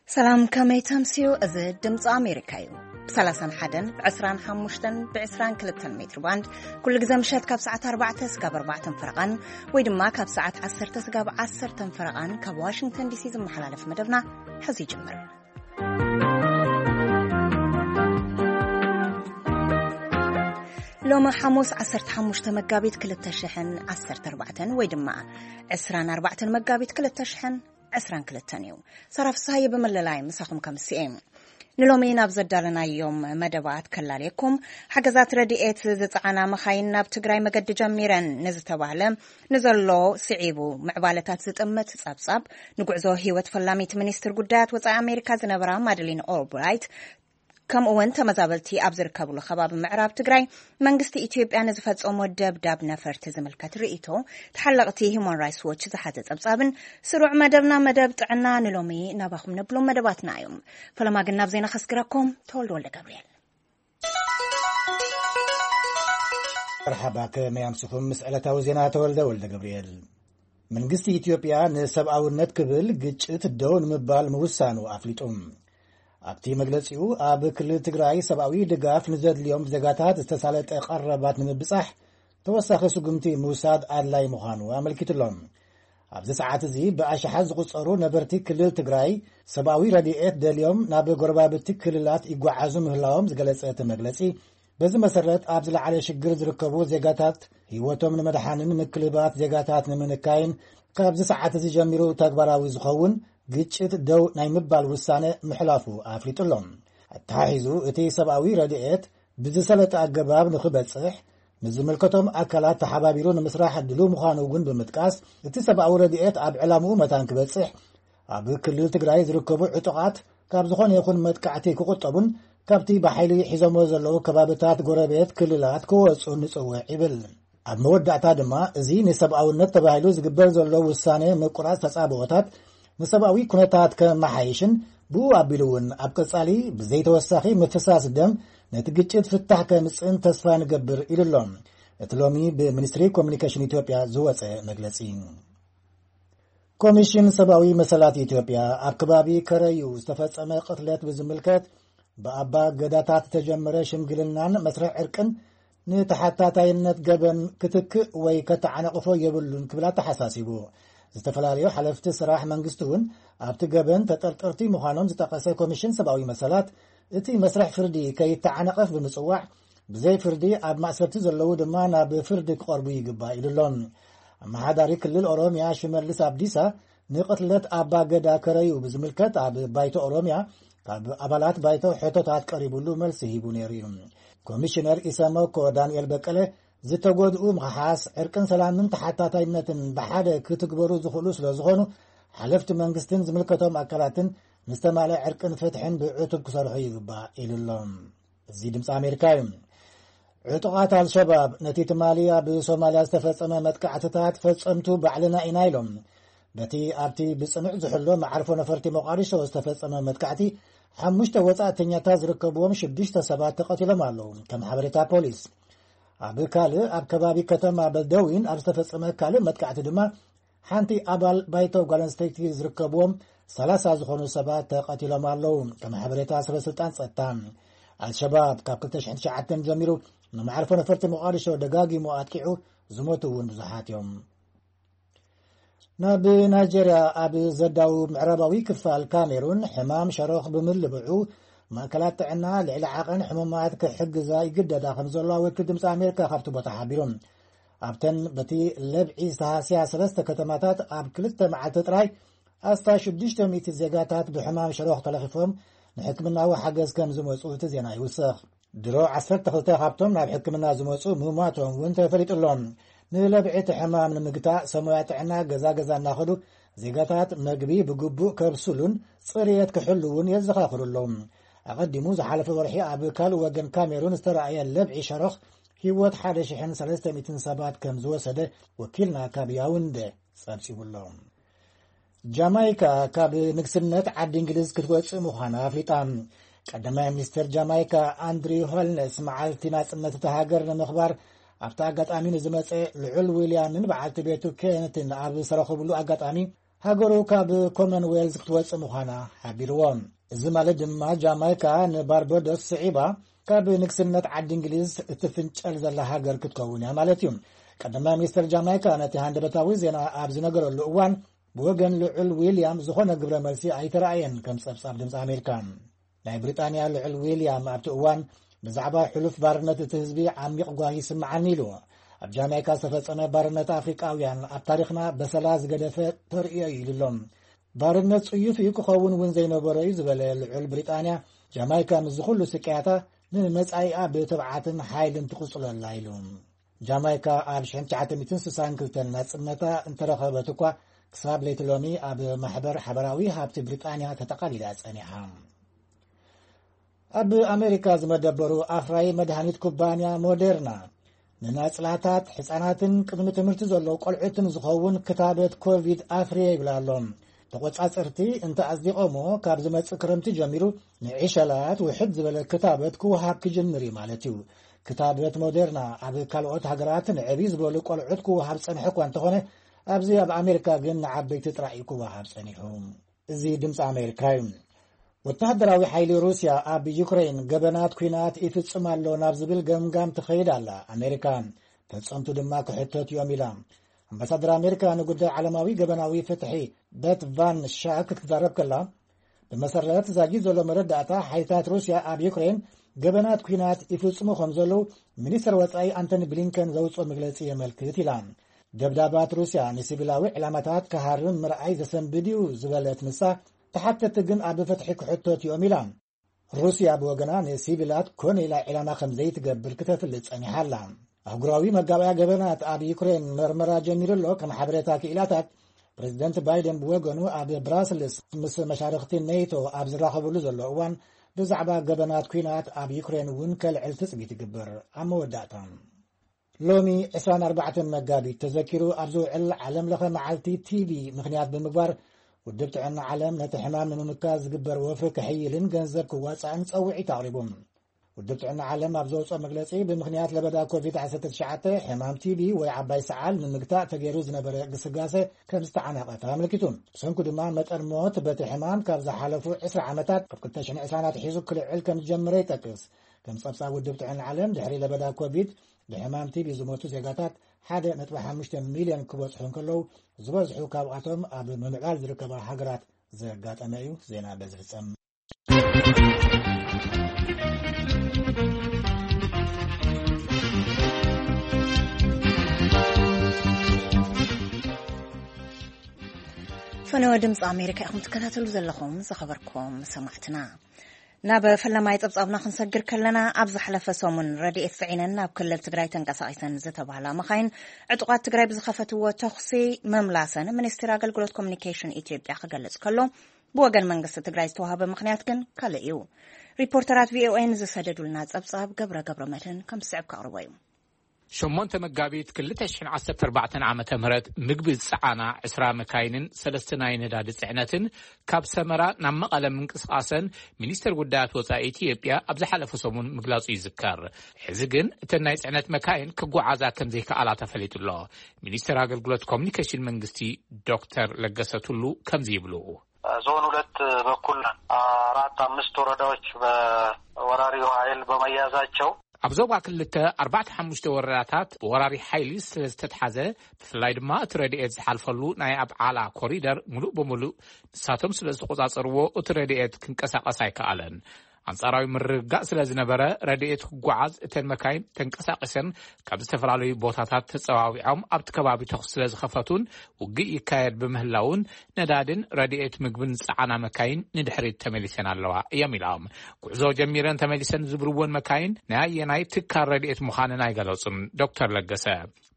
ሰላም፣ ከመይ ተምስዩ? እዚ ድምፂ ኣሜሪካ እዩ። ብ31፣ ብ25፣ ብ22 ሜትር ባንድ ኩሉ ግዜ ምሸት ካብ ሰዓት ኣርባዕተ ስጋብ ኣርባዕተን ፈረቓን፣ ወይ ድማ ካብ ሰዓት ዓሰርተ ስጋብ ዓሰርተን ፈረቓን ካብ ዋሽንግተን ዲሲ ዝመሓላለፍ መደብና ሕዚ ይጅምር። ሎሚ ሓሙስ ዓሰርተ ሓሙሽተ መጋቢት ክልተ ሽሕን ዓሰርተ ኣርባዕተን ወይ ድማ ዕስራን ኣርባዕተን መጋቢት ክልተ ሽሕን ዕስራን ክልተን እዩ። ሳራ ፍስሃየ ብመለላይ ምሳኹም ከምስኤ። ንሎሚ ናብ ዘዳለናዮም መደባት ከላልየኩም። ሓገዛት ረድኤት ዝጸዓና መኻይን ናብ ትግራይ መገዲ ጀሚረን ንዝተባህለ ንዘሎ ስዒቡ ምዕባለታት ዝጥምት ጸብጻብ፣ ንጉዕዞ ህይወት ፈላሚት ሚኒስትር ጉዳያት ወጻኢ ኣሜሪካ ዝነበራ ማደሊን ኦልብራይት፣ ከምኡ እውን ተመዛበልቲ ኣብ ዝርከብሉ ከባቢ ምዕራብ ትግራይ መንግስቲ ኢትዮጵያ ንዝፈጸሞ ደብዳብ ነፈርቲ ዝምልከት ርእይቶ ተሓለቕቲ ሂውማን ራይትስ ዎች ዝሓዘ ጸብጻብን ስሩዕ መደብና መደብ ጥዕና ንሎሚ ናባኹም ነብሎም መደባትና እዮም። ፈለማ ግን ናብ ዜና ከስግረኩም። ተወልደ ወልደ ገብርኤል። መርሓባ፣ ከመይ ኣምስኹም? ምስ ዕለታዊ ዜና ተወልደ ወልደ ገብርኤል። መንግስቲ ኢትዮጵያ ንሰብኣውነት ክብል ግጭት ደው ንምባል ምውሳኑ ኣፍሊጡ። ኣብቲ መግለጺኡ፣ ኣብ ክልል ትግራይ ሰብኣዊ ድጋፍ ንዘድልዮም ዜጋታት ዝተሳለጠ ቀረባት ንምብጻሕ ተወሳኺ ስጉምቲ ምውሳድ ኣድላይ ምዃኑ ኣመልኪቱ ኣሎ። ኣብዚ ሰዓት እዚ ብኣሽሓት ዝቑጸሩ ነበርቲ ክልል ትግራይ ሰብኣዊ ረድኤት ደልዮም ናብ ጎረባብቲ ክልላት ይጓዓዙ ምህላዎም ዝገለጸ እቲ መግለጺ፣ በዚ መሰረት ኣብ ዝለዓለ ሽግር ዝርከቡ ዜጋታት ህይወቶም ንምድሓንን ምክልባት ዜጋታት ንምንካይን ካብዚ ሰዓት እዚ ጀሚሩ ተግባራዊ ዝኸውን ግጭት ደው ናይ ምባል ውሳነ ምሕላፉ ኣፍሊጡ ኣሎ። ኣተሓሒዙ እቲ ሰብኣዊ ረድኤት ብዝሰለጠ ኣገባብ ንኽበጽሕ ምስ ዝምልከቶም ኣካላት ተሓባቢሩ ንምስራሕ ድሉው ምዃኑ እውን ብምጥቃስ፣ እቲ ሰብኣዊ ረድኤት ኣብ ዕላምኡ መታን ክበጽሕ ኣብ ክልል ትግራይ ዝርከቡ ዕጡቓት ካብ ዝኾነ ይኹን መጥቃዕቲ ክቑጠቡን ካብቲ ብሓይሊ ሒዞሞ ዘለዉ ከባብታት ጎረቤት ክልላት ክወጹን ንጽውዕ ይብል። ኣብ መወዳእታ ድማ፣ እዚ ንሰብኣውነት ተባሂሉ ዝግበር ዘሎ ውሳነ ምቁራጽ ተጻብኦታት ንሰብኣዊ ኩነታት ከመሓይሽን ብኡ ኣቢሉ እውን ኣብ ቀጻሊ ብዘይተወሳኺ ምፍሳስ ደም ነቲ ግጭት ፍታሕ ከምጽእን ተስፋ ንገብር ኢሉ ኣሎ እቲ ሎሚ ብሚኒስትሪ ኮሚኒኬሽን ኢትዮጵያ ዝወጸ መግለጺ። ኮሚሽን ሰብኣዊ መሰላት ኢትዮጵያ ኣብ ከባቢ ከረዩ ዝተፈጸመ ቅትለት ብዝምልከት ብኣባ ገዳታት ዝተጀመረ ሽምግልናን መስርሕ ዕርቅን ንተሓታታይነት ገበን ክትክእ ወይ ከተዓናቕፎ የብሉን ክብል ኣተሓሳሲቡ። ዝተፈላለዩ ሓለፍቲ ስራሕ መንግስቲ እውን ኣብቲ ገበን ተጠርጠርቲ ምዃኖም ዝጠቐሰ ኮሚሽን ሰብኣዊ መሰላት፣ እቲ መስርሕ ፍርዲ ከይተዓነቐፍ ብምጽዋዕ፣ ብዘይ ፍርዲ ኣብ ማእሰርቲ ዘለዉ ድማ ናብ ፍርዲ ክቐርቡ ይግባእ ኢሉ ኣሎ። ኣመሓዳሪ ክልል ኦሮምያ ሽመልስ ኣብዲሳ ንቕትለት ኣባ ገዳ ከረዩ ብዝምልከት ኣብ ባይቶ ኦሮምያ ካብ ኣባላት ባይቶ ሕቶታት ቀሪቡሉ መልሲ ሂቡ ነይሩ እዩ። ኮሚሽነር ኢሰመኮ ዳንኤል በቀለ፣ ዝተጎድኡ ምኽሓስ፣ ዕርቅን ሰላምን ተሓታታይነትን ብሓደ ክትግበሩ ዝኽእሉ ስለ ዝኾኑ፣ ሓለፍቲ መንግስትን ዝምልከቶም ኣካላትን ንዝተማልአ ዕርቅን ፍትሕን ብዕቱብ ክሰርሑ ይግባእ ኢሉ ኣሎ። እዚ ድምፂ ኣሜሪካ እዩ። ዕጡቓት ኣልሸባብ ነቲ ትማሊ ኣብ ሶማልያ ዝተፈጸመ መጥቃዕትታት ፈጸምቱ ባዕልና ኢና ኢሎም። በቲ ኣብቲ ብጽኑዕ ዝሕሎ መዓርፎ ነፈርቲ ሞቃዲሾ ዝተፈጸመ መጥቃዕቲ፣ ሓሙሽተ ወጻእተኛታት ዝርከብዎም ሽዱሽተ ሰባት ተቐቲሎም ኣለዉ፣ ከም ሓበሬታ ፖሊስ። ኣብ ካልእ፣ ኣብ ከባቢ ከተማ በልደዊን ኣብ ዝተፈጸመ ካልእ መጥቃዕቲ ድማ፣ ሓንቲ ኣባል ባይቶ ጓል ኣንስተይቲ ዝርከብዎም ሰላሳ ዝኾኑ ሰባት ተቐቲሎም ኣለዉ፣ ከም ሓበሬታ ሰበ ስልጣን ጸጥታ። ኣልሸባብ ካብ ክልተ ሽሕን ትሽዓተን ጀሚሩ ንመዓርፎ ነፈርቲ ሞቃዲሾ ደጋጊሙ ኣጥቂዑ፣ ዝሞቱ እውን ብዙሓት እዮም። ናብ ናይጀርያ ኣብ ዘዳውብ ምዕራባዊ ክፋል ካሜሩን ሕማም ሸሮኽ ብምልብዑ፣ ማእከላት ጥዕና ልዕሊ ዓቐን ሕሙማት ክሕግዛ ይግደዳ ከም ዘለዋ ወኪል ድምፂ ኣሜሪካ ካብቲ ቦታ ሓቢሩ። ኣብተን በቲ ለብዒ ዝተሃስያ ሰለስተ ከተማታት ኣብ ክልተ መዓልቲ ጥራይ ኣስታት ሽዱሽተ ሚእቲ ዜጋታት ብሕማም ሸሮኽ ተለኺፎም ንሕክምናዊ ሓገዝ ከም ዝመጹ እቲ ዜና ይውስኽ። ድሮ ዓሰርተ ክልተ ካብቶም ናብ ሕክምና ዝመጹ ምሟቶም እውን ተፈሊጡ ኣሎ። ንለብዒ እቲ ሕማም ንምግታእ ሰሙያ ጥዕና ገዛ ገዛ እናኸዱ ዜጋታት መግቢ ብግቡእ ከብስሉን ጽርየት ክሕልውን የዘኻኽሩ ኣለዉ። ኣቐዲሙ ዝሓለፈ ወርሒ ኣብ ካልእ ወገን ካሜሩን ዝተራእየ ለብዒ ሸሮኽ ህይወት ሓደ ሽሕን ሰለስተ ሚእትን ሰባት ከም ዝወሰደ ወኪልና ካብ ያውንደ ጸብጺቡ ኣሎ። ጃማይካ ካብ ንግስነት ዓዲ እንግሊዝ ክትወጽእ ምዃና ኣፍሊጣ። ቀዳማይ ሚኒስትር ጃማይካ ኣንድሪው ሆልነስ መዓልቲ ናጽነት እታ ሃገር ንምኽባር ኣብቲ ኣጋጣሚ ንዝመጸ ልዑል ዊልያምን በዓልቲ ቤቱ ኬነትን ኣብ ዝተረኸብሉ ኣጋጣሚ ሃገሩ ካብ ኮመንዌልዝ ክትወጽእ ምዃና ሓቢርዎ። እዚ ማለት ድማ ጃማይካ ንባርበዶስ ስዒባ ካብ ንግስነት ዓዲ እንግሊዝ እትፍንጨል ዘላ ሃገር ክትከውን እያ ማለት እዩ። ቀዳማይ ሚኒስትር ጃማይካ ነቲ ሃንደበታዊ ዜና ኣብ ዝነገረሉ እዋን፣ ብወገን ልዑል ዊልያም ዝኾነ ግብረ መልሲ ኣይተራእየን፣ ከም ጸብጻብ ድምፂ ኣሜሪካ። ናይ ብሪጣንያ ልዑል ዊልያም ኣብቲ እዋን፣ ብዛዕባ ሕሉፍ ባርነት እቲ ህዝቢ ዓሚቕ ጓሂ ይስምዓኒ ኢሉ። ኣብ ጃማይካ ዝተፈጸመ ባርነት ኣፍሪቃውያን ኣብ ታሪኽና በሰላ ዝገደፈ ተርእዮ እዩ ኢሉ ኣሎ። ባርነት ጽዩፍ እዩ፣ ክኸውን እውን ዘይነበሮ እዩ ዝበለ ልዑል ብሪጣንያ፣ ጃማይካ ምስዚ ኩሉ ስቅያታ ንመጻኢኣ ብትብዓትን ሓይልን ትቕጽሎ ኣላ ኢሉ። ጃማይካ ኣብ ሽሕን ትሽዓተ ሚእትን ስሳን ክልተን ናጽነታ እንተረኸበት እኳ፣ ክሳብ ለይቲ ሎሚ ኣብ ማሕበር ሓበራዊ ሃብቲ ብሪጣንያ ተጠቓሊላ ጸኒሓ። ኣብ ኣሜሪካ ዝመደበሩ ኣፍራዪ መድሃኒት ኩባንያ ሞዴርና፣ ንናጽላታት፣ ሕጻናትን ቅድሚ ትምህርቲ ዘለዉ ቆልዑትን ዝኸውን ክታበት ኮቪድ ኣፍርየ ይብል ኣሎ። ተቖጻጸርቲ እንተ ኣጽዲቖሞ፣ ካብ ዝመጽእ ክረምቲ ጀሚሩ ንዕሸላት ውሕድ ዝበለ ክታበት ክወሃብ ክጅምር እዩ ማለት እዩ። ክታበት ሞዴርና ኣብ ካልኦት ሃገራት ንዕብይ ዝበሉ ቆልዑት ክወሃብ ጸንሐ እኳ እንተኾነ፣ ኣብዚ ኣብ ኣሜሪካ ግን ንዓበይቲ ጥራይ እዩ ክወሃብ ጸኒሑ። እዚ ድምፂ ኣሜሪካ እዩ። ወተሃደራዊ ሓይሊ ሩስያ ኣብ ዩክሬን ገበናት ኲናት ይፍጽም ኣሎ ናብ ዝብል ገምጋም ትኸይድ ኣላ ኣሜሪካ። ፈጸምቱ ድማ ክሕተት እዮም ኢላ። ኣምባሳደር ኣሜሪካ ንጉዳይ ዓለማዊ ገበናዊ ፍትሒ በት ቫን ሻክ ክትዛረብ ከላ፣ ብመሰረት ዛጊድ ዘሎ መረዳእታ፣ ሓይልታት ሩስያ ኣብ ዩክሬን ገበናት ኲናት ይፍጽሙ ከም ዘለዉ ሚኒስትር ወጻኢ ኣንቶኒ ብሊንከን ዘውፅኦ መግለጺ የመልክት ኢላ። ደብዳባት ሩስያ ንሲቪላዊ ዕላማታት ክሃርም ምርኣይ ዘሰንብድ እዩ ዝበለት ንሳ፣ ተሓተቲ ግን ኣብ ፍትሒ ክሕተት እዮም ኢላ። ሩስያ ብወገና ንሲቪላት ኮነ ኢላ ዒላማ ከም ዘይትገብር ክተፍልጥ ጸኒሓ ኣላ። ኣህጉራዊ መጋባእያ ገበናት ኣብ ዩክሬን መርመራ ጀሚሩ ኣሎ። ከም ሓበሬታ ክኢላታት፣ ፕሬዚደንት ባይደን ብወገኑ ኣብ ብራስልስ ምስ መሻርኽቲ ኔቶ ኣብ ዝራኸብሉ ዘሎ እዋን፣ ብዛዕባ ገበናት ኲናት ኣብ ዩክሬን እውን ከልዕል ትጽቢት ይግበር። ኣብ መወዳእታ፣ ሎሚ ዕስራን ኣርባዕተን መጋቢት ተዘኪሩ ኣብ ዝውዕል ዓለም ለኸ መዓልቲ ቲቢ ምኽንያት ብምግባር፣ ውድብ ጥዕና ዓለም ነቲ ሕማም ንምምካት ዝግበር ወፍሪ ከሕይልን ገንዘብ ክዋጻእን ጸውዒት ኣቕሪቡ። ውድብ ጥዕና ዓለም ኣብ ዘውፅኦ መግለጺ፣ ብምኽንያት ለበዳ ኮቪድ ዓሰርተ ትሽዓተ፣ ሕማም ቲቢ ወይ ዓባይ ሰዓል ንምግታእ ተገይሩ ዝነበረ ግስጋሴ ከም ዝተዓናቐፈ ኣመልኪቱ። ብሰንኩ ድማ መጠን ሞት በቲ ሕማም ካብ ዝሓለፉ ዕስራ ዓመታት፣ ካብ ክልተ ሽሕን ዕስራን ኣትሒዙ ክልዕል ከም ዝጀመረ ይጠቅስ። ከም ጸብጻብ ውድብ ጥዕና ዓለም፣ ድሕሪ ለበዳ ኮቪድ ብሕማም ቲቢ ዝሞቱ ዜጋታት ሓደ ነጥቢ ሓሙሽተ ሚልዮን ክበጽሑ እንከለዉ፣ ዝበዝሑ ካብኣቶም ኣብ ምምዕባል ዝርከባ ሃገራት ዘጋጠመ እዩ። ዜና በዚ ፍጸም። ፈነወ ድምፂ ኣሜሪካ ኢኹም ትከታተሉ ዘለኹም። ዝኸበርኩም ሰማዕትና፣ ናብ ፈለማይ ፀብፃብና ክንሰግር ከለና፣ ኣብ ዝሓለፈ ሰሙን ረድኤት ፅዒነን ናብ ክልል ትግራይ ተንቀሳቒሰን ዝተባህላ መኻይን ዕጡቓት ትግራይ ብዝኸፈትዎ ተኹሲ ምምላሰን ሚኒስትሪ ኣገልግሎት ኮሚኒኬሽን ኢትዮጵያ ክገልጽ ከሎ፣ ብወገን መንግስቲ ትግራይ ዝተዋህበ ምኽንያት ግን ካልእ እዩ። ሪፖርተራት ቪኦኤ ንዝሰደዱልና ጸብጻብ ገብረ ገብረ መድህን ከም ዝስዕብ ከቕርቦ እዩ። ሸሞንተ መጋቢት ክልተ ሽሕን ዓሰርተ ኣርባዕተን ዓመተ ምህረት ምግቢ ዝጸዓና ዕስራ መካይንን ሰለስተ ናይ ነዳዲ ጽዕነትን ካብ ሰመራ ናብ መቐለ ምንቅስቓሰን ሚኒስተር ጉዳያት ወጻኢ ኢትዮጵያ ኣብ ዝሓለፈ ሰሙን ምግላጹ ይዝከር። ሕዚ ግን እተን ናይ ጽዕነት መካይን ክጓዓዛ ከም ዘይከኣላ ተፈሊጡ ኣሎ። ሚኒስተር ኣገልግሎት ኮሚኒኬሽን መንግስቲ ዶክተር ለገሰ ቱሉ ከምዚ ይብሉ። ዞን ሁለት በኩል አራት አምስት ወረዳዎች በወራሪው ኃይል በመያዛቸው፣ ኣብ ዞባ ክልተ ኣርባዕተ ሓሙሽተ ወረዳታት ብወራሪ ሓይሊ ስለ ዝተትሓዘ፣ ብፍላይ ድማ እቲ ረድኤት ዝሓልፈሉ ናይ ኣብ ዓላ ኮሪደር ሙሉእ ብሙሉእ ንሳቶም ስለ ዝተቆጻጸርዎ፣ እቲ ረድኤት ክንቀሳቐስ ኣይከኣለን። ኣንጻራዊ ምርግጋእ ስለ ዝነበረ፣ ረድኤት ክጓዓዝ እተን መካይን ተንቀሳቒሰን ካብ ዝተፈላለዩ ቦታታት ተጸዋዊዖም ኣብቲ ከባቢ ተኹሲ ስለ ዝኸፈቱን ውግእ ይካየድ ብምህላውን፣ ነዳድን ረድኤት ምግብን ዝጸዓና መካይን ንድሕሪት ተመሊሰን ኣለዋ እዮም ኢሎም። ጉዕዞ ጀሚረን ተመሊሰን ዝብልወን መካይን ናይ ኣየናይ ትካል ረድኤት ምዃነን ኣይገለጹን ዶክተር ለገሰ።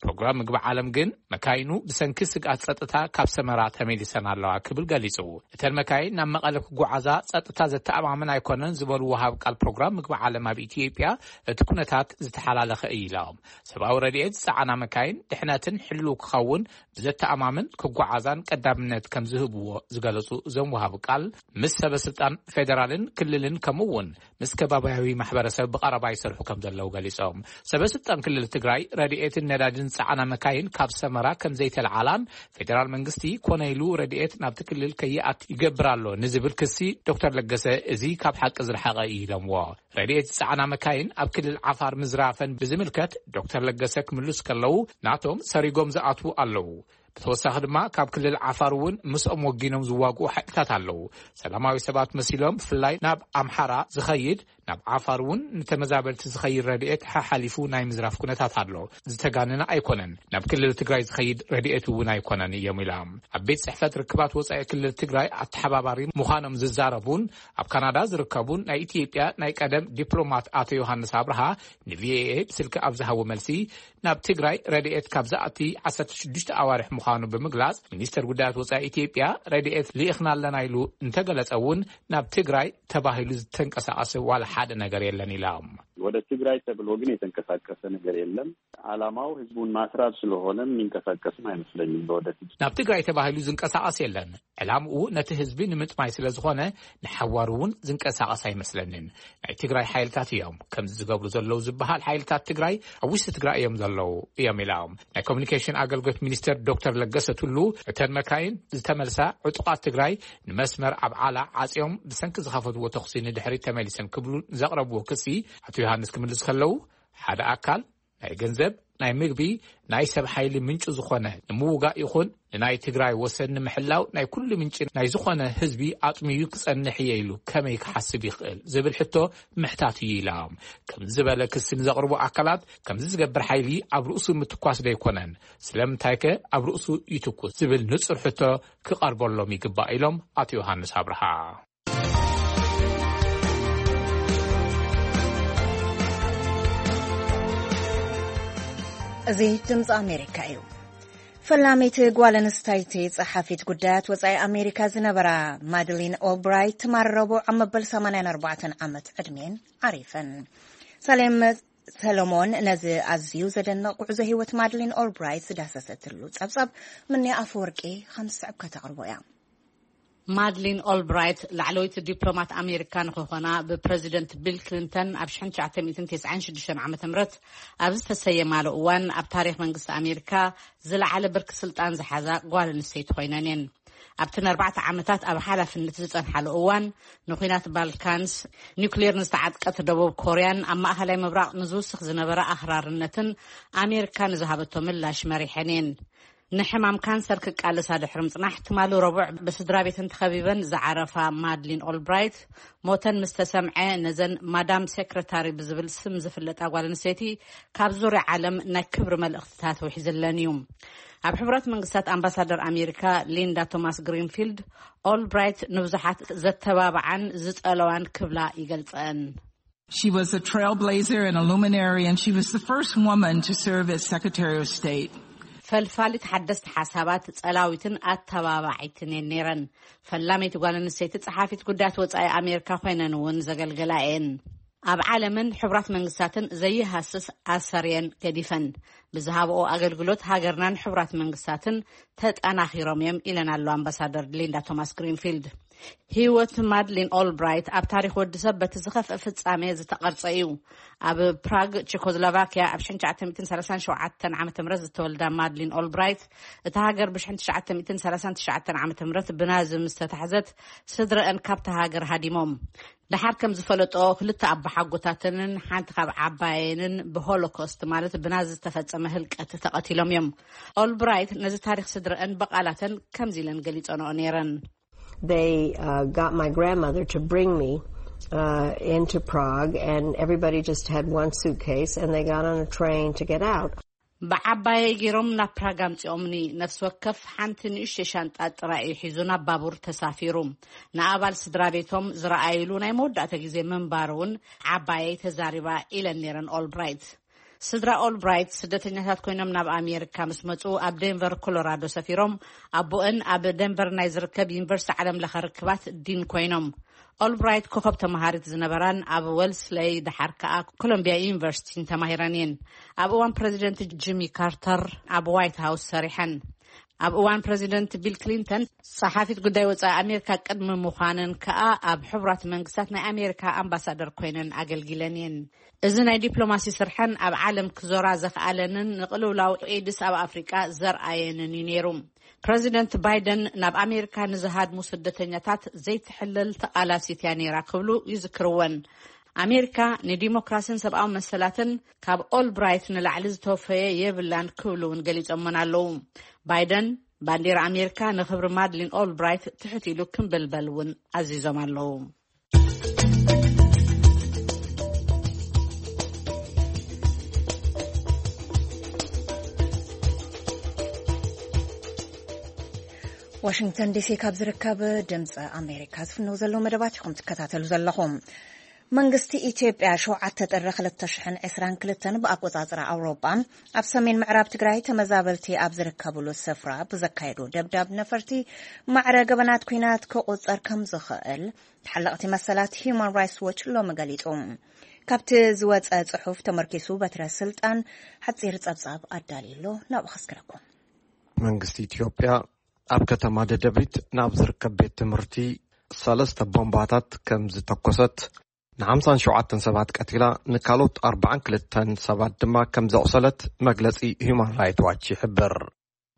ፕሮግራም ምግቢ ዓለም ግን፣ መካይኑ ብሰንኪ ስግኣት ጸጥታ ካብ ሰመራ ተመሊሰን ኣለዋ ክብል ገሊጹ። እተን መካይን ናብ መቐለ ክጓዓዛ ጸጥታ ዘተኣማምን ኣይኮነን ዝበሉ ወሃብ ቃል ፕሮግራም ምግቢ ዓለም ኣብ ኢትዮጵያ፣ እቲ ኩነታት ዝተሓላለኸ እዩ ኢሎም። ሰብኣዊ ረድኤት ዝጸዓና መካይን ድሕነትን ሕልው ክኸውን ብዘተኣማምን ክጓዓዛን ቀዳምነት ከም ዝህብዎ ዝገለጹ እዞም ወሃብ ቃል፣ ምስ ሰበ ስልጣን ፌደራልን ክልልን ከምኡ እውን ምስ ከባቢያዊ ማሕበረሰብ ብቐረባ ይሰርሑ ከም ዘለዉ ገሊጾም። ሰበ ስልጣን ክልል ትግራይ ረድኤትን ነዳድን ዝጸዓና መካይን ካብ ሰመራ ከም ዘይተለዓላን ፌደራል መንግስቲ ኮነ ኢሉ ረድኤት ናብቲ ክልል ከይኣት ይገብር ኣሎ ንዝብል ክሲ ዶክተር ለገሰ፣ እዚ ካብ ሓቂ ዝረሓቐ እዩ ኢሎምዎ። ረድኤት ዝጸዓና መካይን ኣብ ክልል ዓፋር ምዝራፈን ብዝምልከት ዶክተር ለገሰ ክምልሱ ከለዉ፣ ናቶም ሰሪጎም ዝኣትዉ ኣለዉ። ብተወሳኺ ድማ ካብ ክልል ዓፋር እውን ምስኦም ወጊኖም ዝዋግኡ ሓይልታት ኣለዉ። ሰላማዊ ሰባት መሲሎም ብፍላይ ናብ ኣምሓራ ዝኸይድ፣ ናብ ዓፋር እውን ንተመዛበልቲ ዝኸይድ ረድኤት ሓሓሊፉ ናይ ምዝራፍ ኩነታት ኣሎ። ዝተጋነነ ኣይኮነን። ናብ ክልል ትግራይ ዝኸይድ ረድኤት እውን ኣይኮነን እዮም ኢሎም። ኣብ ቤት ጽሕፈት ርክባት ወጻኢ ክልል ትግራይ ኣተሓባባሪ ምዃኖም ዝዛረቡን ኣብ ካናዳ ዝርከቡን ናይ ኢትዮጵያ ናይ ቀደም ዲፕሎማት ኣቶ ዮሃንስ ኣብርሃ ንቪኦኤ ብስልኪ ኣብ ዝሃቦ መልሲ፣ ናብ ትግራይ ረድኤት ካብ ዝኣቲ ዓሰርተ ሽዱሽተ ኣዋርሕ ምዃኑ ብምግላጽ፣ ሚኒስተር ጉዳያት ወጻኢ ኢትዮጵያ ረድኤት ልኢኽና ኣለና ኢሉ እንተገለጸ እውን፣ ናብ ትግራይ ተባሂሉ ዝተንቀሳቐሰ ዋላ ሓደ ነገር የለን ኢሎም። ወደ ትግራይ ተብሎ ግን የተንቀሳቀሰ ነገር የለም። ዓላማው ህዝቡን ማስራብ ስለሆነ የሚንቀሳቀስም አይመስለኝም። ለወደፊት ናብ ትግራይ ተባሂሉ ዝንቀሳቐስ የለን። ዕላምኡ ነቲ ህዝቢ ንምጥማይ ስለ ዝኾነ፣ ንሓዋሩ እውን ዝንቀሳቐስ ኣይመስለንን። ናይ ትግራይ ሓይልታት እዮም ከምዚ ዝገብሩ ዘለዉ ዝበሃል። ሓይልታት ትግራይ ኣብ ውሽጢ ትግራይ እዮም ዘለዉ እዮም ኢሎም። ናይ ኮሚኒኬሽን ኣገልግሎት ሚኒስተር ዶክተር ለገሰ ቱሉ፣ እተን መካይን ዝተመልሳ ዕጡቓት ትግራይ ንመስመር ኣብ ዓላ ዓጽዮም ብሰንኪ ዝኸፈትዎ ተኹሲ ንድሕሪት ተመሊሰን ክብሉ ዘቕረብዎ ክሲ ኣቶ ዮሃንስ ክምልስ ከለዉ፣ ሓደ ኣካል ናይ ገንዘብ፣ ናይ ምግቢ፣ ናይ ሰብ ሓይሊ ምንጩ ዝኾነ ንምውጋእ ይኹን ንናይ ትግራይ ወሰን ንምሕላው ናይ ኩሉ ምንጪ ናይ ዝኾነ ህዝቢ ኣጥሚዩ ክጸንሕ እየ ኢሉ ከመይ ክሓስብ ይኽእል ዝብል ሕቶ ምሕታት እዩ ኢሎም። ከምዚ ዝበለ ክሲ ንዘቕርቡ ኣካላት፣ ከምዚ ዝገብር ሓይሊ ኣብ ርእሱ ምትኳስ ዶ ኣይኮነን? ስለምንታይከ ኣብ ርእሱ ይትኩስ ዝብል ንጹር ሕቶ ክቐርበሎም ይግባእ ኢሎም ኣቶ ዮሃንስ ኣብርሃ። እዚ ድምፂ ኣሜሪካ እዩ። ፈላሚት ጓል ኣንስተይቲ ጸሓፊት ጉዳያት ወጻኢ ኣሜሪካ ዝነበራ ማድሊን ኦልብራይት ትማል ረቡዕ ኣብ መበል ሰማንያን ኣርባዕተን ዓመት ዕድሜን ዓሪፈን። ሳሌም ሰሎሞን ነዚ ኣዝዩ ዘደንቕ ጉዕዞ ህይወት ማድሊን ኦልብራይት ዝዳሰሰትሉ ጸብጻብ ምንያ ኣፈወርቂ ከም ዝስዕብ ከተቕርቦ እያ። ማድሊን ኦልብራይት ላዕለወይቲ ዲፕሎማት ኣሜሪካ ንክኾና ብፕረዚደንት ቢል ክሊንተን ኣብ ሽሕን ትሽዓተ ሚእትን ተስዓን ሽዱሽተን ዓመተ ምህረት ኣብ ዝተሰየማሉ እዋን፣ ኣብ ታሪኽ መንግስቲ ኣሜሪካ ዝለዓለ ብርኪ ስልጣን ዝሓዛ ጓል ኣንስተይቲ ኮይነን እየን። ኣብቲ ንኣርባዕተ ዓመታት ኣብ ሓላፍነት ዝጸንሓሉ እዋን፣ ንኲናት ባልካንስ፣ ኒውክሌር ንዝተዓጥቀት ደቡብ ኮርያን ኣብ ማእኸላይ ምብራቕ ንዝውስኽ ዝነበረ ኣኽራርነትን ኣሜሪካ ንዝሃበቶ ምላሽ መሪሐን እየን። ንሕማም ካንሰር ክቃለሳ ድሕሪ ምጽናሕ፣ ትማሊ ረቡዕ ብስድራ ቤተን ተኸቢበን ዝዓረፋ ማድሊን ኦልብራይት፣ ሞተን ምስ ተሰምዐ፣ ነዘን ማዳም ሴክረታሪ ብዝብል ስም ዝፍለጣ ጓል ኣንስተይቲ ካብ ዙርያ ዓለም ናይ ክብሪ መልእኽትታት ውሒዝለን እዩ። ኣብ ሕቡራት መንግስታት ኣምባሳደር ኣሜሪካ ሊንዳ ቶማስ ግሪንፊልድ፣ ኦልብራይት ንብዙሓት ዘተባብዓን ዝጸለዋን ክብላ ይገልጸን። She was a trailblazer and a luminary, and she was the first woman to serve as Secretary of State. ፈልፋሊት ሓደስቲ ሓሳባት፣ ጸላዊትን ኣተባባዒትን እየን ነይረን። ፈላመይቲ ጓል ኣንስተይቲ ጸሓፊት ጉዳያት ወጻኢ ኣሜሪካ ኮይነን እውን ዘገልገላ እየን። ኣብ ዓለምን ሕቡራት መንግስታትን ዘይሃስስ ኣሰር እየን ገዲፈን። ብዝሃብኦ ኣገልግሎት ሃገርናን ሕቡራት መንግስታትን ተጠናኺሮም እዮም ኢለን ኣሎ ኣምባሳደር ሊንዳ ቶማስ ግሪንፊልድ። ህይወት ማድሊን ኦልብራይት ኣብ ታሪኽ ወዲ ሰብ በቲ ዝኸፍአ ፍጻሜ ዝተቐርጸ እዩ። ኣብ ፕራግ፣ ቸኮስሎቫኪያ ኣብ ሽሕን ትሽዓተ ሚእትን ሰላሳን ሸውዓተን ዓመተ ምህረት ዝተወልዳ ማድሊን ኦልብራይት፣ እታ ሃገር ብሽሕን ትሽዓተ ሚእትን ሰላሳን ትሽዓተን ዓመተ ምህረት ብናዚ ምስ ተታሕዘት፣ ስድረአን ካብታ ሃገር ሃዲሞም። ደሓር ከም ዝፈለጦ፣ ክልተ ኣቦሓጎታተንን ሓንቲ ካብ ዓባየንን ብሆሎኮስት ማለት ብናዚ ዝተፈጸመ ህልቀት ተቐቲሎም እዮም። ኦልብራይት ነዚ ታሪኽ ስድረአን ብቓላተን ከምዚ ኢለን ገሊጸንኦ ነይረን። They uh, got my grandmother to bring me uh, into Prague, and everybody just had one suitcase, and they got on a train to get out. ብዓባየይ ገይሮም ናብ ፕራግ ኣምጺኦምኒ። ነፍሲ ወከፍ ሓንቲ ንእሽተይ ሻንጣ ጥራይ እዩ ሒዙ ናብ ባቡር ተሳፊሩ። ንኣባል ስድራ ቤቶም ዝረኣይሉ ናይ መወዳእታ ግዜ ምንባሩ እውን ዓባየይ ተዛሪባ ኢለን ነይረን ኦልብራይት። ስድራ ኦልብራይት ስደተኛታት ኮይኖም ናብ ኣሜሪካ ምስ መጹ፣ ኣብ ዴንቨር ኮሎራዶ ሰፊሮም። ኣቦአን ኣብ ዴንቨር ናይ ዝርከብ ዩኒቨርሲቲ ዓለም ለኸ ርክባት ዲን ኮይኖም። ኦልብራይት ኮኸብ ተመሃሪት ዝነበራን ኣብ ወልስለይ ደሓር ከኣ ኮሎምቢያ ዩኒቨርሲቲን ተማሂረን እየን። ኣብ እዋን ፕረዚደንት ጂሚ ካርተር ኣብ ዋይት ሃውስ ሰሪሐን። ኣብ እዋን ፕረዚደንት ቢል ክሊንተን ጸሓፊት ጉዳይ ወጻኢ ኣሜሪካ ቅድሚ ምዃነን ከኣ ኣብ ሕቡራት መንግስታት ናይ ኣሜሪካ ኣምባሳደር ኮይነን ኣገልጊለን እየን። እዚ ናይ ዲፕሎማሲ ስርሐን ኣብ ዓለም ክዞራ ዘኽኣለንን ንቅልውላው ኤድስ ኣብ ኣፍሪቃ ዘርኣየንን እዩ ነይሩ። ፕረዚደንት ባይደን ናብ ኣሜሪካ ንዝሃድሙ ስደተኛታት ዘይትሕለል ተቓላሲት እያ ነይራ ክብሉ ይዝክርወን። ኣሜሪካ ንዲሞክራሲን ሰብኣዊ መሰላትን ካብ ኦልብራይት ንላዕሊ ዝተወፈየ የብላን ክብሉ እውን ገሊጾመን ኣለዉ። ባይደን ባንዲራ ኣሜሪካ ንክብሪ ማድሊን ኦልብራይት ትሕት ኢሉ ክምብልበል እውን ኣዚዞም ኣለዉ። ዋሽንግተን ዲሲ ካብ ዝርከብ ድምፂ ኣሜሪካ ዝፍነው ዘለዉ መደባት ኢኹም ትከታተሉ ዘለኹም። መንግስቲ ኢትዮጵያ ሸውዓተ ጥሪ ክልተ ሽሕን ዕስራን ክልተን ብኣቆጻጽራ ኣውሮጳ ኣብ ሰሜን ምዕራብ ትግራይ ተመዛበልቲ ኣብ ዝርከብሉ ስፍራ ብዘካየዱ ደብዳብ ነፈርቲ ማዕረ ገበናት ኲናት ክቑጸር ከም ዝኽእል ተሓለቕቲ መሰላት ሂዩማን ራይትስ ዎች ሎሚ ገሊጹ። ካብቲ ዝወጸ ጽሑፍ ተመርኪሱ በትረ ስልጣን ሓጺር ጸብጻብ ኣዳልዩ ኣሎ። ናብኡ ከስግረኩም። መንግስቲ ኢትዮጵያ ኣብ ከተማ ደደቢት ናብ ዝርከብ ቤት ትምህርቲ ሰለስተ ቦምባታት ከም ዝተኮሰት ንሓምሳን ሸውዓተን ሰባት ቀቲላ፣ ንካልኦት ኣርባዓን ክልተን ሰባት ድማ ከም ዘቑሰለት መግለጺ ሂዩማን ራይት ዋች ይሕብር።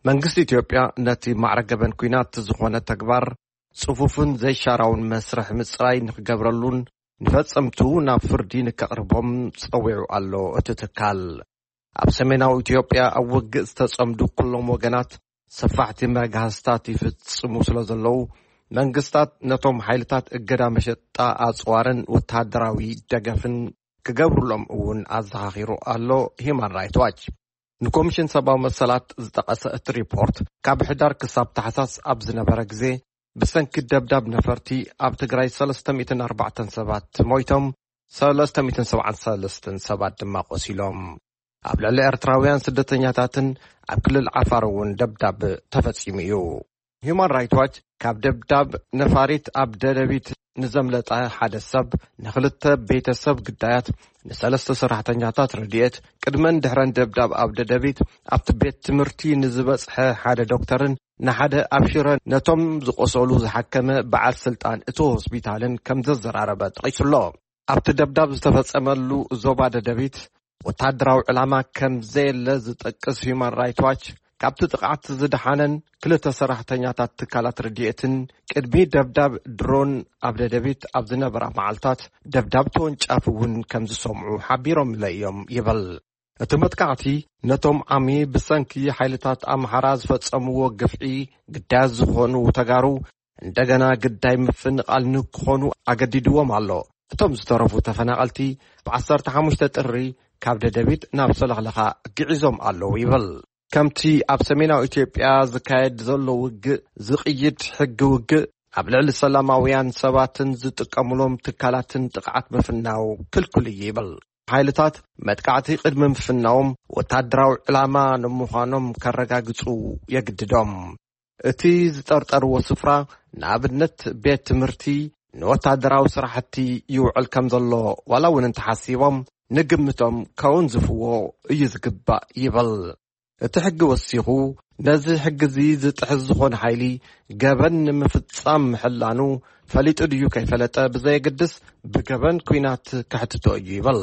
መንግስቲ ኢትዮጵያ ነቲ ማዕረ ገበን ኲናት ዝኾነ ተግባር ጽፉፍን ዘይሻራውን መስርሕ ምጽራይ ንክገብረሉን ንፈጸምቱ ናብ ፍርዲ ንከቕርቦም ጸዊዑ ኣሎ። እቲ ትካል ኣብ ሰሜናዊ ኢትዮጵያ ኣብ ውግእ ዝተጸምዱ ኩሎም ወገናት ሰፋሕቲ መግሃስታት ይፍጽሙ ስለ ዘለዉ፣ መንግስታት ነቶም ሓይልታት እገዳ መሸጣ ኣጽዋርን ወተሃደራዊ ደገፍን ክገብሩሎም እውን ኣዘኻኺሩ ኣሎ ሂዩማን ራይት ዋች። ንኮሚሽን ሰብኣዊ መሰላት ዝጠቐሰ እቲ ሪፖርት፣ ካብ ሕዳር ክሳብ ታሕሳስ ኣብ ዝነበረ ግዜ ብሰንኪ ደብዳብ ነፈርቲ ኣብ ትግራይ ሰለስተ ሚእትን ኣርባዕተን ሰባት ሞይቶም፣ ሰለስተ ሚእትን ሰብዓን ሰለስተን ሰባት ድማ ቆሲሎም። ኣብ ልዕሊ ኤርትራውያን ስደተኛታትን ኣብ ክልል ዓፋር እውን ደብዳብ ተፈጺሙ እዩ። ሂዩማን ራይት ዋች ካብ ደብዳብ ነፋሪት ኣብ ደደቢት ንዘምለጠ ሓደ ሰብ፣ ንኽልተ ቤተሰብ ግዳያት፣ ንሰለስተ ሰራሕተኛታት ረድኤት፣ ቅድመን ድሕረን ደብዳብ ኣብ ደደቢት ኣብቲ ቤት ትምህርቲ ንዝበጽሐ ሓደ ዶክተርን ንሓደ ኣብ ሽረ ነቶም ዝቆሰሉ ዝሓከመ በዓል ስልጣን እቲ ሆስፒታልን ከም ዘዘራረበ ጠቒሱ ኣሎ። ኣብቲ ደብዳብ ዝተፈጸመሉ ዞባ ደደቢት ወተሃደራዊ ዕላማ ከም ዘየለ ዝጠቅስ ሂዩማን ራይት ዋች፣ ካብቲ ጥቕዓት ዝደሓነን ክልተ ሰራሕተኛታት ትካላት ረድኤትን ቅድሚ ደብዳብ ድሮን ኣብ ደደቢት ኣብ ዝነበራ መዓልታት ደብዳብ ተወንጫፊ እውን ከም ዝሰምዑ ሓቢሮምለ እዮም ይብል። እቲ መጥቃዕቲ ነቶም ዓሚ ብሰንኪ ሓይልታት ኣምሓራ ዝፈጸምዎ ግፍዒ ግዳያት ዝኾኑ ተጋሩ እንደገና ግዳይ ምፍንቓል ንክኾኑ ኣገዲድዎም ኣሎ። እቶም ዝተረፉ ተፈናቐልቲ ብ ዓሰርተ ሓሙሽተ ጥሪ ካብ ደደቢት ናብ ሰለኽለኻ ግዒዞም ኣለዉ ይብል። ከምቲ ኣብ ሰሜናዊ ኢትዮጵያ ዝካየድ ዘሎ ውግእ ዝቕይድ ሕጊ ውግእ፣ ኣብ ልዕሊ ሰላማውያን ሰባትን ዝጥቀሙሎም ትካላትን ጥቕዓት ምፍናው ክልኩል እዩ ይብል። ሓይልታት መጥቃዕቲ ቅድሚ ምፍናዎም ወታደራዊ ዕላማ ንምዃኖም ከረጋግጹ የግድዶም። እቲ ዝጠርጠርዎ ስፍራ፣ ንኣብነት ቤት ትምህርቲ፣ ንወታደራዊ ስራሕቲ ይውዕል ከም ዘሎ ዋላ እውን እንተሓሲቦም፣ ንግምቶም ከወንዝፍዎ እዩ ዝግባእ ይብል። እቲ ሕጊ ወሲኹ፣ ነዚ ሕጊ እዚ ዝጥሕስ ዝኾነ ሓይሊ ገበን ንምፍጻም ምሕላኑ ፈሊጡ ድዩ ከይፈለጠ ብዘየግድስ፣ ብገበን ኲናት ከሕትቶ እዩ ይብል።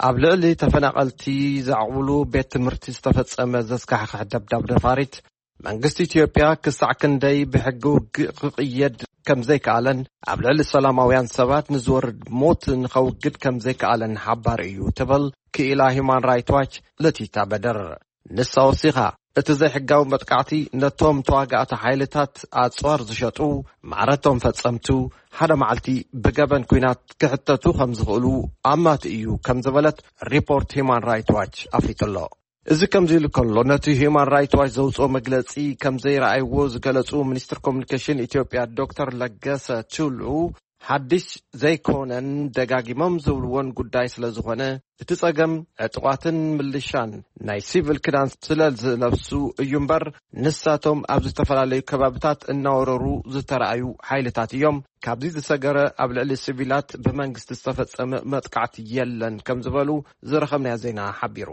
ኣብ ልዕሊ ተፈናቐልቲ ዘዕቑብሉ ቤት ትምህርቲ ዝተፈጸመ ዘስካሕክሕ ደብዳብ ነፋሪት፣ መንግስቲ ኢትዮጵያ ክሳዕ ክንደይ ብሕጊ ውግእ ክቕየድ ከም ዘይከኣለን፣ ኣብ ልዕሊ ሰላማውያን ሰባት ንዝወርድ ሞት ንኸውግድ ከም ዘይከኣለን ሓባሪ እዩ ትብል ክኢላ ሂዩማን ራይት ዋች ለቲታ በደር። ንሳ ወሲኻ፣ እቲ ዘይሕጋዊ መጥቃዕቲ ነቶም ተዋጋእቲ ሓይልታት ኣጽዋር ዝሸጡ ማዕረቶም ፈጸምቱ ሓደ መዓልቲ ብገበን ኲናት ክሕተቱ ከም ዝኽእሉ ኣማት እዩ ከም ዝበለት ሪፖርት ሂዩማን ራይት ዋች ኣፍሊጡ ኣሎ። እዚ ከምዚ ኢሉ ከሎ፣ ነቲ ሂዩማን ራይት ዋች ዘውጽኦ መግለጺ ከም ዘይረኣይዎ ዝገለጹ ሚኒስትር ኮሙኒኬሽን ኢትዮጵያ ዶክተር ለገሰ ቱሉ፣ ሓድሽ ዘይኮነን ደጋጊሞም ዝብልዎን ጉዳይ ስለ ዝኾነ፣ እቲ ጸገም ዕጡቓትን ምልሻን ናይ ሲቪል ክዳን ስለ ዝለብሱ እዩ እምበር፣ ንሳቶም ኣብ ዝተፈላለዩ ከባብታት እናወረሩ ዝተራእዩ ሓይልታት እዮም። ካብዚ ዝሰገረ ኣብ ልዕሊ ሲቪላት ብመንግስቲ ዝተፈጸመ መጥቃዕቲ የለን ከም ዝበሉ ዝረኸብናዮ ዜና ሓቢሩ።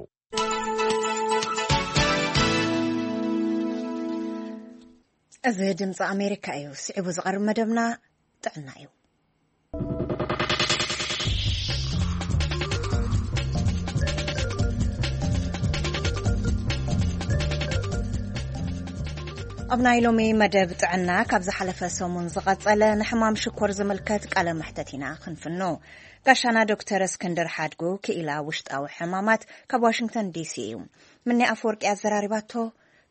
እዚ ድምፂ ኣሜሪካ እዩ። ስዒቡ ዝቐርብ መደብና ጥዕና እዩ። ኣብ ናይ ሎሚ መደብ ጥዕና፣ ካብ ዝሓለፈ ሰሙን ዝቐጸለ ንሕማም ሽኮር ዝምልከት ቃለ መሕተት ኢና ክንፍኖ። ጋሻና ዶክተር እስክንድር ሓድጉ፣ ክኢላ ውሽጣዊ ሕማማት፣ ካብ ዋሽንግተን ዲሲ እዩ። ምኒ ኣፈወርቂ ኣዘራሪባቶ።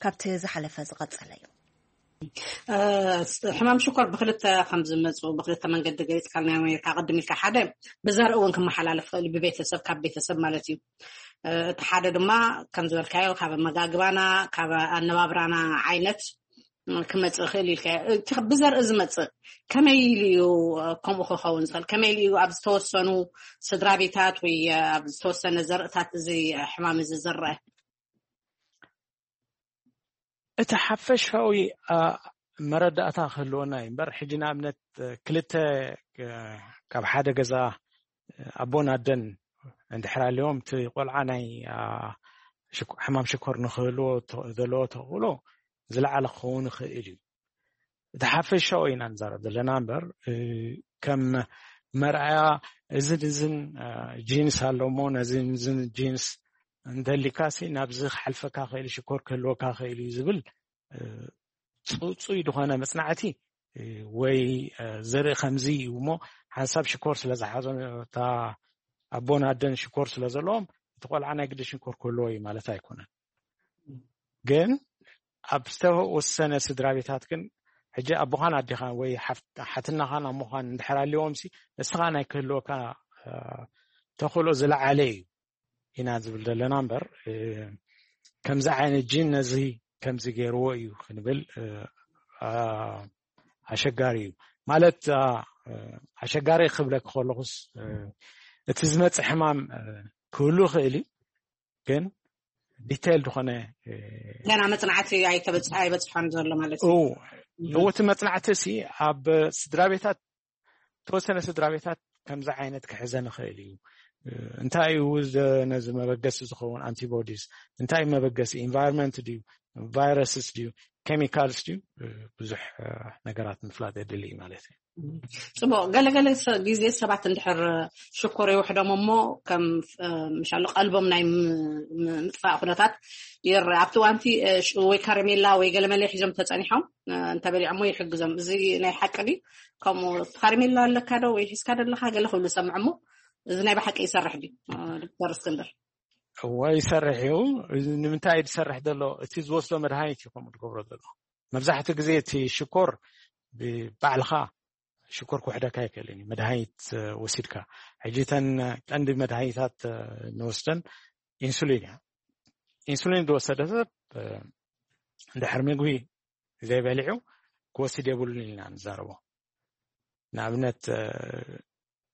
ካብቲ ዝሓለፈ ዝቐጸለ እዩ። ሕማም ሽኮር ብክልተ ከም ዝመፁ፣ ብክልተ መንገዲ ገሊፅካ ናይ ኣሜሪካ ቅድም ኢልካ። ሓደ፣ ብዘርኢ እውን ክመሓላለፍ ይኽእል እዩ፣ ብቤተሰብ፣ ካብ ቤተሰብ ማለት እዩ። እቲ ሓደ ድማ ከም ዝበልካዮ ካብ ኣመጋግባና፣ ካብ ኣነባብራና ዓይነት ክመፅእ ይኽእል ኢልካ። እቲ ብዘርኢ ዝመፅእ ከመይ ኢሉ እዩ ከምኡ ክኸውን ዝኽእል? ከመይ ኢሉ እዩ ኣብ ዝተወሰኑ ስድራ ቤታት ወይ ኣብ ዝተወሰነ ዘርእታት እዚ ሕማም እዚ ዝረአ? እቲ ሓፈሻዊ መረዳእታ ክህልወና እዩ እምበር፣ ሕጂ ንኣብነት ክልተ ካብ ሓደ ገዛ ኣቦን ኣደን እንድሕር ኣልዮም፣ እቲ ቆልዓ ናይ ሕማም ሽኮር ንክህልዎ ዘለዎ ተኽእሎ ዝለዓለ ክኸውን ይኽእል እዩ። እቲ ሓፈሻዊ ኢና ንዛረብ ዘለና እምበር፣ ከም መርኣያ እዝን እዝን ጂንስ ኣሎ እሞ ነዚ እዝን ጂንስ እንተሊካሲ ናብዚ ክሓልፈካ ክእል፣ ሽኮር ክህልወካ ክእል እዩ ዝብል ፅፁይ ዝኾነ መፅናዕቲ ወይ ዘርኢ ከምዚ እዩ እሞ፣ ሓንሳብ ሽኮር ስለ ዝሓዞ፣ እታ ኣቦን ኣደን ሽኮር ስለ ዘለዎም እቲ ቆልዓ ናይ ግዲ ሽኮር ክህልዎ እዩ ማለት ኣይኮነን። ግን ኣብ ዝተወሰነ ስድራ ቤታት ግን፣ ሕጂ ኣቦኻን ኣዴኻን ወይ ሓትናኻን ኣሞኻን እንድሕር ኣልዎም ሲ፣ እስኻ ናይ ክህልወካ ተኽእሎ ዝለዓለ እዩ ኢና ዝብል ዘለና እምበር፣ ከምዚ ዓይነት ጂን ነዚ ከምዚ ገይርዎ እዩ ክንብል ኣሸጋሪ እዩ። ማለት ኣሸጋሪ ክብለክ ከለኹስ፣ እቲ ዝመፅእ ሕማም ክህሉ ይኽእል እዩ፣ ግን ዲቴል ዝኾነ ገና መፅናዕቲ ኣይበፅሖን ዘሎ ማለት እዩ። እዎ፣ እቲ መፅናዕቲ ሲ ኣብ ስድራ ቤታት፣ ተወሰነ ስድራ ቤታት ከምዚ ዓይነት ክሕዘ ንኽእል እዩ። እንታይ እዩ ነዚ መበገሲ ዝኸውን? ኣንቲቦዲስ። እንታይ እዩ መበገሲ? ኢንቫይሮንመንት ድዩ፣ ቫይረስስ ድዩ፣ ኬሚካልስ ድዩ? ብዙሕ ነገራት ምፍላጥ የድሊ እዩ ማለት እዩ። ፅቡቅ። ገለገለ ግዜ ሰባት እንድሕር ሽኮር ይውሕዶም እሞ፣ ከም ምሻሉ ቀልቦም ናይ ምጥፋእ ኩነታት ይረአ። ኣብቲ ዋንቲ ወይ ካረሜላ ወይ ገለመለ ሒዞም ተፀኒሖም እንተበሊዖሞ ይሕግዞም። እዚ ናይ ሓቂ ድዩ? ከምኡ ካረሜላ ኣለካ ዶ ወይ ሒዝካ ደለካ ገለ ክብሉ ሰምዕ እሞ፣ እዚ ናይ ብሓቂ ይሰርሕ ድዩ? ዶክተር እስክንድር። እወ፣ ይሰርሕ እዩ። ንምንታይ እዩ ዝሰርሕ ዘሎ? እቲ ዝወስዶ መድሃኒት እዩ ከምኡ ዝገብሮ ዘሎ። መብዛሕትኡ ግዜ እቲ ሽኮር ብባዕልኻ ሽኮር ክውሕደካ ኣይክእልን እዩ፣ መድሃኒት ወሲድካ። ሕጂ እተን ቀንዲ መድሃኒታት ንወስደን ኢንሱሊን እያ። ኢንሱሊን ዝወሰደ ሰብ እንድሕር ምግቢ ዘይበሊዑ ክወስድ የብሉን ኢልና ንዛረቦ። ንኣብነት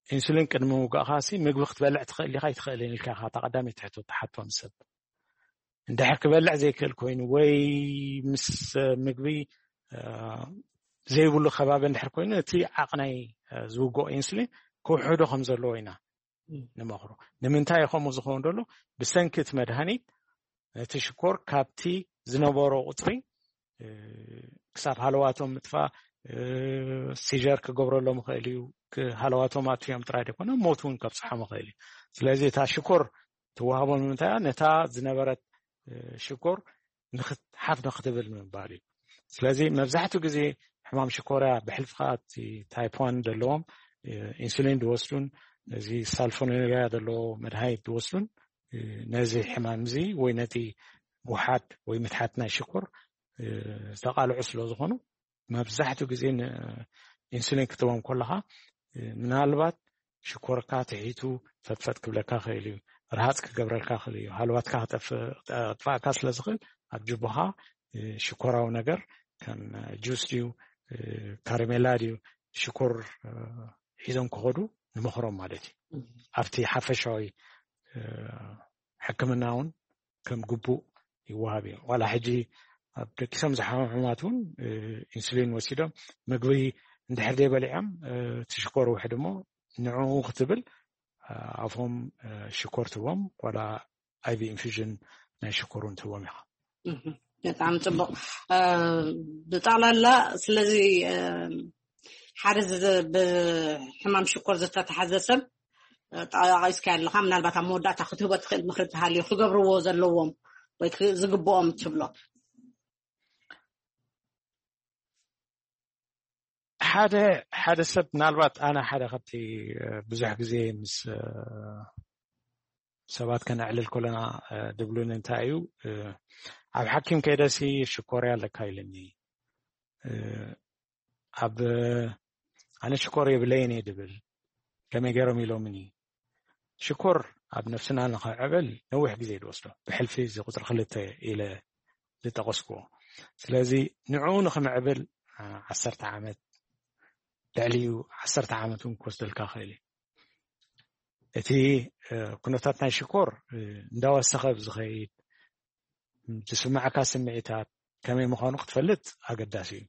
ኢንሱሊን ቅድሚ ምውጋእካ ሲ ምግቢ ክትበልዕ ትኽእል ኢኻ ኣይትኽእልን ኢልካ ኢኻ እታ ቀዳመይቲ ሕቶ ትሓቶ ንሰብ። እንድሕር ክበልዕ ዘይክእል ኮይኑ ወይ ምስ ምግቢ ዘይብሉ ከባቢ እንድሕር ኮይኑ፣ እቲ ዓቕናይ ዝውግኦ ኢንሱሊን ክውሕዶ ከም ዘለዎ ኢና ንመኽሮ። ንምንታይ ከምኡ ዝኸውን ዘሎ? ብሰንኪ እቲ መድሃኒት ነቲ ሽኮር ካብቲ ዝነበሮ ቁፅሪ ክሳብ ሃለዋቶም ምጥፋእ፣ ሲጀር ክገብረሎም ይኽእል እዩ። ሃለዋቶም ኣጥፊኦም ጥራይ ዘይኮነ ሞት እውን ከብፅሖም ይኽእል እዩ። ስለዚ እታ ሽኮር ትወሃቦም ንምንታይ እያ? ነታ ዝነበረት ሽኮር ሓፍ ንክትብል ንምባል እዩ። ስለዚ መብዛሕትኡ ግዜ ሕማም ሽኮር እያ ብሕልፊ ከዓ እቲ ታይፕ ዋን ዘለዎም ኢንሱሊን ዝወስዱን፣ እዚ ሳልፎኔሪያ ዘለዎ መድሃኒት ዝወስዱን ነዚ ሕማም እዚ ወይ ነቲ ውሓድ ወይ ምትሓት ናይ ሽኮር ዝተቃልዑ ስለ ዝኾኑ፣ መብዛሕትኡ ግዜ ኢንሱሊን ክትቦም ከለኻ ምናልባት ሽኮርካ ትሒቱ ፈጥፈጥ ክብለካ ክእል እዩ፣ ርሃፅ ክገብረልካ ክእል እዩ፣ ሃልዋትካ ክጠፍእካ ስለ ዝኽእል ኣብ ጅቦኻ ሽኮራዊ ነገር ከም ጁስ ድዩ፣ ካረሜላ ድዩ፣ ሽኮር ሒዞም ክኸዱ ንመኽሮም ማለት እዩ። ኣብቲ ሓፈሻዊ ሕክምና እውን ከም ግቡእ ይወሃብ እዩ። ዋላ ሕጂ ኣብ ደቂሶም ዝሓሙ ሕሙማት እውን ኢንሱሊን ወሲዶም ምግቢ እንድሕር ደይ በሊዖም ትሽኮር ውሕድ እሞ ንዕኡ ክትብል ኣፎም ሽኮር ትቦም ዋላ ኣይቪ ኢንፊዥን ናይ ሽኮር እውን ትቦም ኢኻ። ብጣዕሚ ፅቡቅ። ብጠቕላላ ስለዚ ሓደ ብሕማም ሽኮር ዝተተሓዘ ሰብ ጠቂስካ ኣለካ። ምናልባት ኣብ መወዳእታ ክትህቦ ትኽእል ምክሪ እንተሃልዩ ክገብርዎ ዘለዎም ወይ ዝግብኦም ትብሎ? ሓደ ሓደ ሰብ ምናልባት ኣነ ሓደ ካብቲ ብዙሕ ግዜ ምስ ሰባት ከነዕልል ከለና ድብሉን እንታይ እዩ፣ ኣብ ሓኪም ከይደሲ ሽኮርያ ኣለካ ኢልኒ። ኣብ ኣነ ሽኮር የብለይን እየ ድብል። ከመይ ገይሮም ኢሎምኒ? ሽኮር ኣብ ነፍስና ንኸዕብል ነዊሕ ግዜ ድወስዶ፣ ብሕልፊ እዚ ቁፅሪ ክልተ ኢለ ዝጠቐስኩዎ። ስለዚ ንዕኡ ንኽምዕብል ዓሰርተ ዓመት፣ ልዕሊኡ ዓሰርተ ዓመት እውን ክወስደልካ ክእል እዩ። እቲ ኩነታት ናይ ሽኮር እንዳወሰኸ ብዝኸይድ ዝስማዕካ ስምዒታት ከመይ ምዃኑ ክትፈልጥ ኣገዳሲ እዩ።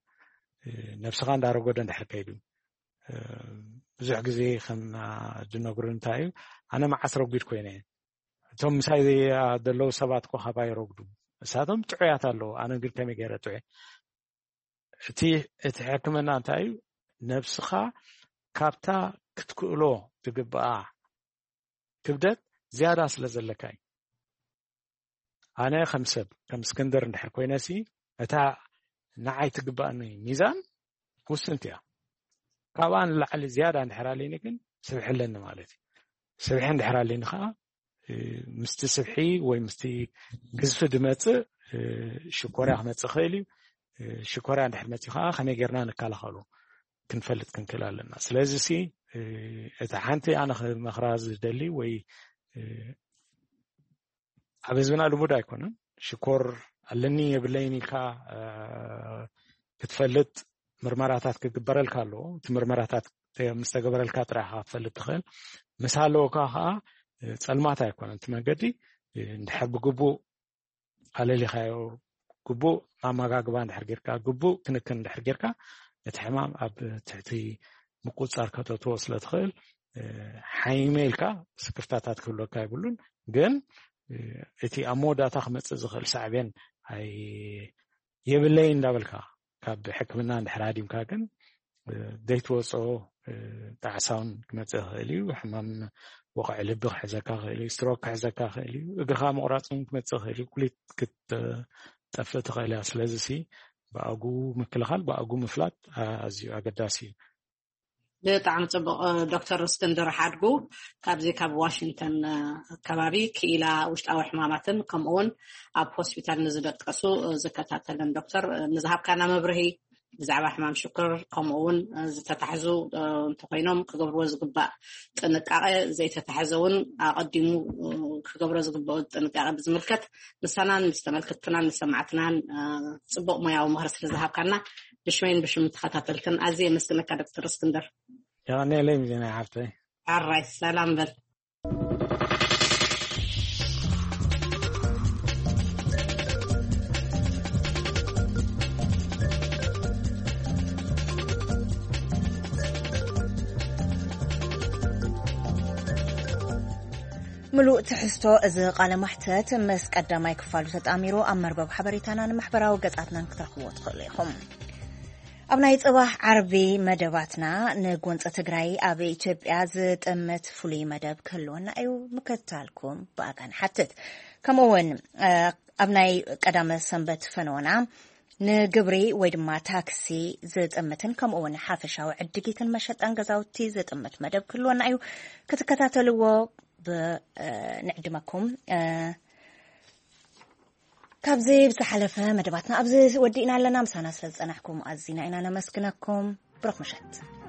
ነብስኻ እንዳረጎደ እንድሕር ከይዱ ብዙሕ ግዜ ከም ዝነግሩ እንታይ እዩ፣ ኣነ መዓስ ረጒድ ኮይነ፣ እቶም ምሳይ ዘለዉ ሰባት እኮ ካባይ ረጉዱ፣ እሳቶም ጥዑያት ኣለዉ፣ ኣነ ግን ከመይ ገይረ ጥዑ? እቲ እቲ ሕክምና እንታይ እዩ? ነብስኻ ካብታ ክትክእሎ ትግብኣ ክብደት ዝያዳ ስለ ዘለካ እዩ። ኣነ ከም ሰብ ከም እስክንድር እንድሕር ኮይነሲ እታ ንዓይ ትግባእኒ ሚዛን ውስንቲ እያ። ካብኣ ንላዕሊ ዝያዳ እንድሕር ኣለኒ ግን ስብሒ ኣለኒ ማለት እዩ። ስብሒ እንድሕር ኣለኒ ከዓ ምስቲ ስብሒ ወይ ምስቲ ግዝፊ ድመፅእ ሽኮርያ ክመፅእ ክእል እዩ። ሽኮርያ እንድሕር መፅኡ ከዓ ከመይ ጌርና ንከላኸሉ ክንፈልጥ ክንክእል ኣለና። ስለዚ ሲ እቲ ሓንቲ ኣነ ክመኽራ ዝደሊ ወይ ኣብ ህዝብና ልሙድ ኣይኮነን። ሽኮር ኣለኒ የብለይን ኢልካ ክትፈልጥ ምርመራታት ክግበረልካ ኣለዎ። እቲ ምርመራታት ምስ ተገበረልካ ጥራይ ኢኻ ክትፈልጥ ትኽእል። ምስ ሃለወካ ከዓ ጸልማት ኣይኮነን እቲ መንገዲ። እንድሕር ብግቡእ ኣለሊኻዮ፣ ግቡእ ኣመጋግባ እንድሕር ጌርካ፣ ግቡእ ክንክን እንድሕር ጌርካ፣ እቲ ሕማም ኣብ ትሕቲ ምቁጽጻር ከተእትዎ ስለ ትኽእል፣ ሓይመ ኢልካ ስክፍታታት ክህልወካ የብሉን። ግን እቲ ኣብ መወዳእታ ክመጽእ ዝኽእል ሳዕቤን ኣይ የብለይ እንዳበልካ ካብ ሕክምና እንድሕር ሃዲምካ ግን ዘይትወፅኦ ጣዕሳውን ክመፅእ ይኽእል እዩ። ሕማም ወቕዒ ልቢ ክሕዘካ ይኽእል እዩ። ስትሮክ ክሕዘካ ይኽእል እዩ። እግርኻ ምቑራፅ እውን ክመፅእ ይኽእል እዩ። ኩሊት ክትጠፍእ ትኽእል እያ። ስለዚ ሲ ብኣጉ ምክልኻል ብኣጉ ምፍላጥ ኣዝዩ ኣገዳሲ እዩ። ብጣዕሚ ፅቡቅ። ዶክተር እስክንድር ሓድጉ ካብዚ ካብ ዋሽንግተን ከባቢ ክኢላ ውሽጣዊ ሕማማትን ከምኡውን ኣብ ሆስፒታል ንዝደቀሱ ዝከታተልን ዶክተር ንዝሃብካና መብርሂ ብዛዕባ ሕማም ሽኮር ከምኡውን ዝተታሕዙ እንተኮይኖም ክገብርዎ ዝግባእ ጥንቃቄ ዘይተታሕዘ እውን ኣቀዲሙ ክገብሮ ዝግባእ ጥንቃቄ ብዝምልከት ንሳናን ምስ ተመልከትትናን ንሰማዕትናን ፅቡቅ ሞያዊ ምክሪ ስለዝሃብካና ብሽመይን ብሽም ተኸታተልትን ኣዝየ የመስግነካ ዶክተር እስክንድር። የቐንየለይ ሚዜና ሓፍተይ። ኣራይ ሰላም በል። ምሉእ ትሕዝቶ እዚ ቃለ ማሕተት ምስ ቀዳማይ ክፋሉ ተጣሚሩ ኣብ መርበብ ሓበሬታናን ማሕበራዊ ገጻትናን ክትረኽብዎ ትኽእሉ ኢኹም። ኣብ ናይ ጽባሕ ዓርቢ መደባትና ንጎንፂ ትግራይ ኣብ ኢትዮጵያ ዝጥምት ፍሉይ መደብ ክህልወና እዩ። ምክትታልኩም ብኣጋ ንሓትት። ከምኡ እውን ኣብ ናይ ቀዳመ ሰንበት ፈነወና ንግብሪ ወይ ድማ ታክሲ ዝጥምትን ከምኡ እውን ሓፈሻዊ ዕድጊትን መሸጣን ገዛውቲ ዝጥምት መደብ ክህልወና እዩ። ክትከታተልዎ ብንዕድመኩም። ካብዚ ብዝሓለፈ መደባትና ኣብዚ ወዲእና ኣለና። ምሳና ስለ ዝጸናሕኩም ኣዚና ኢና ነመስግነኩም። ብሩኽ ምሸት።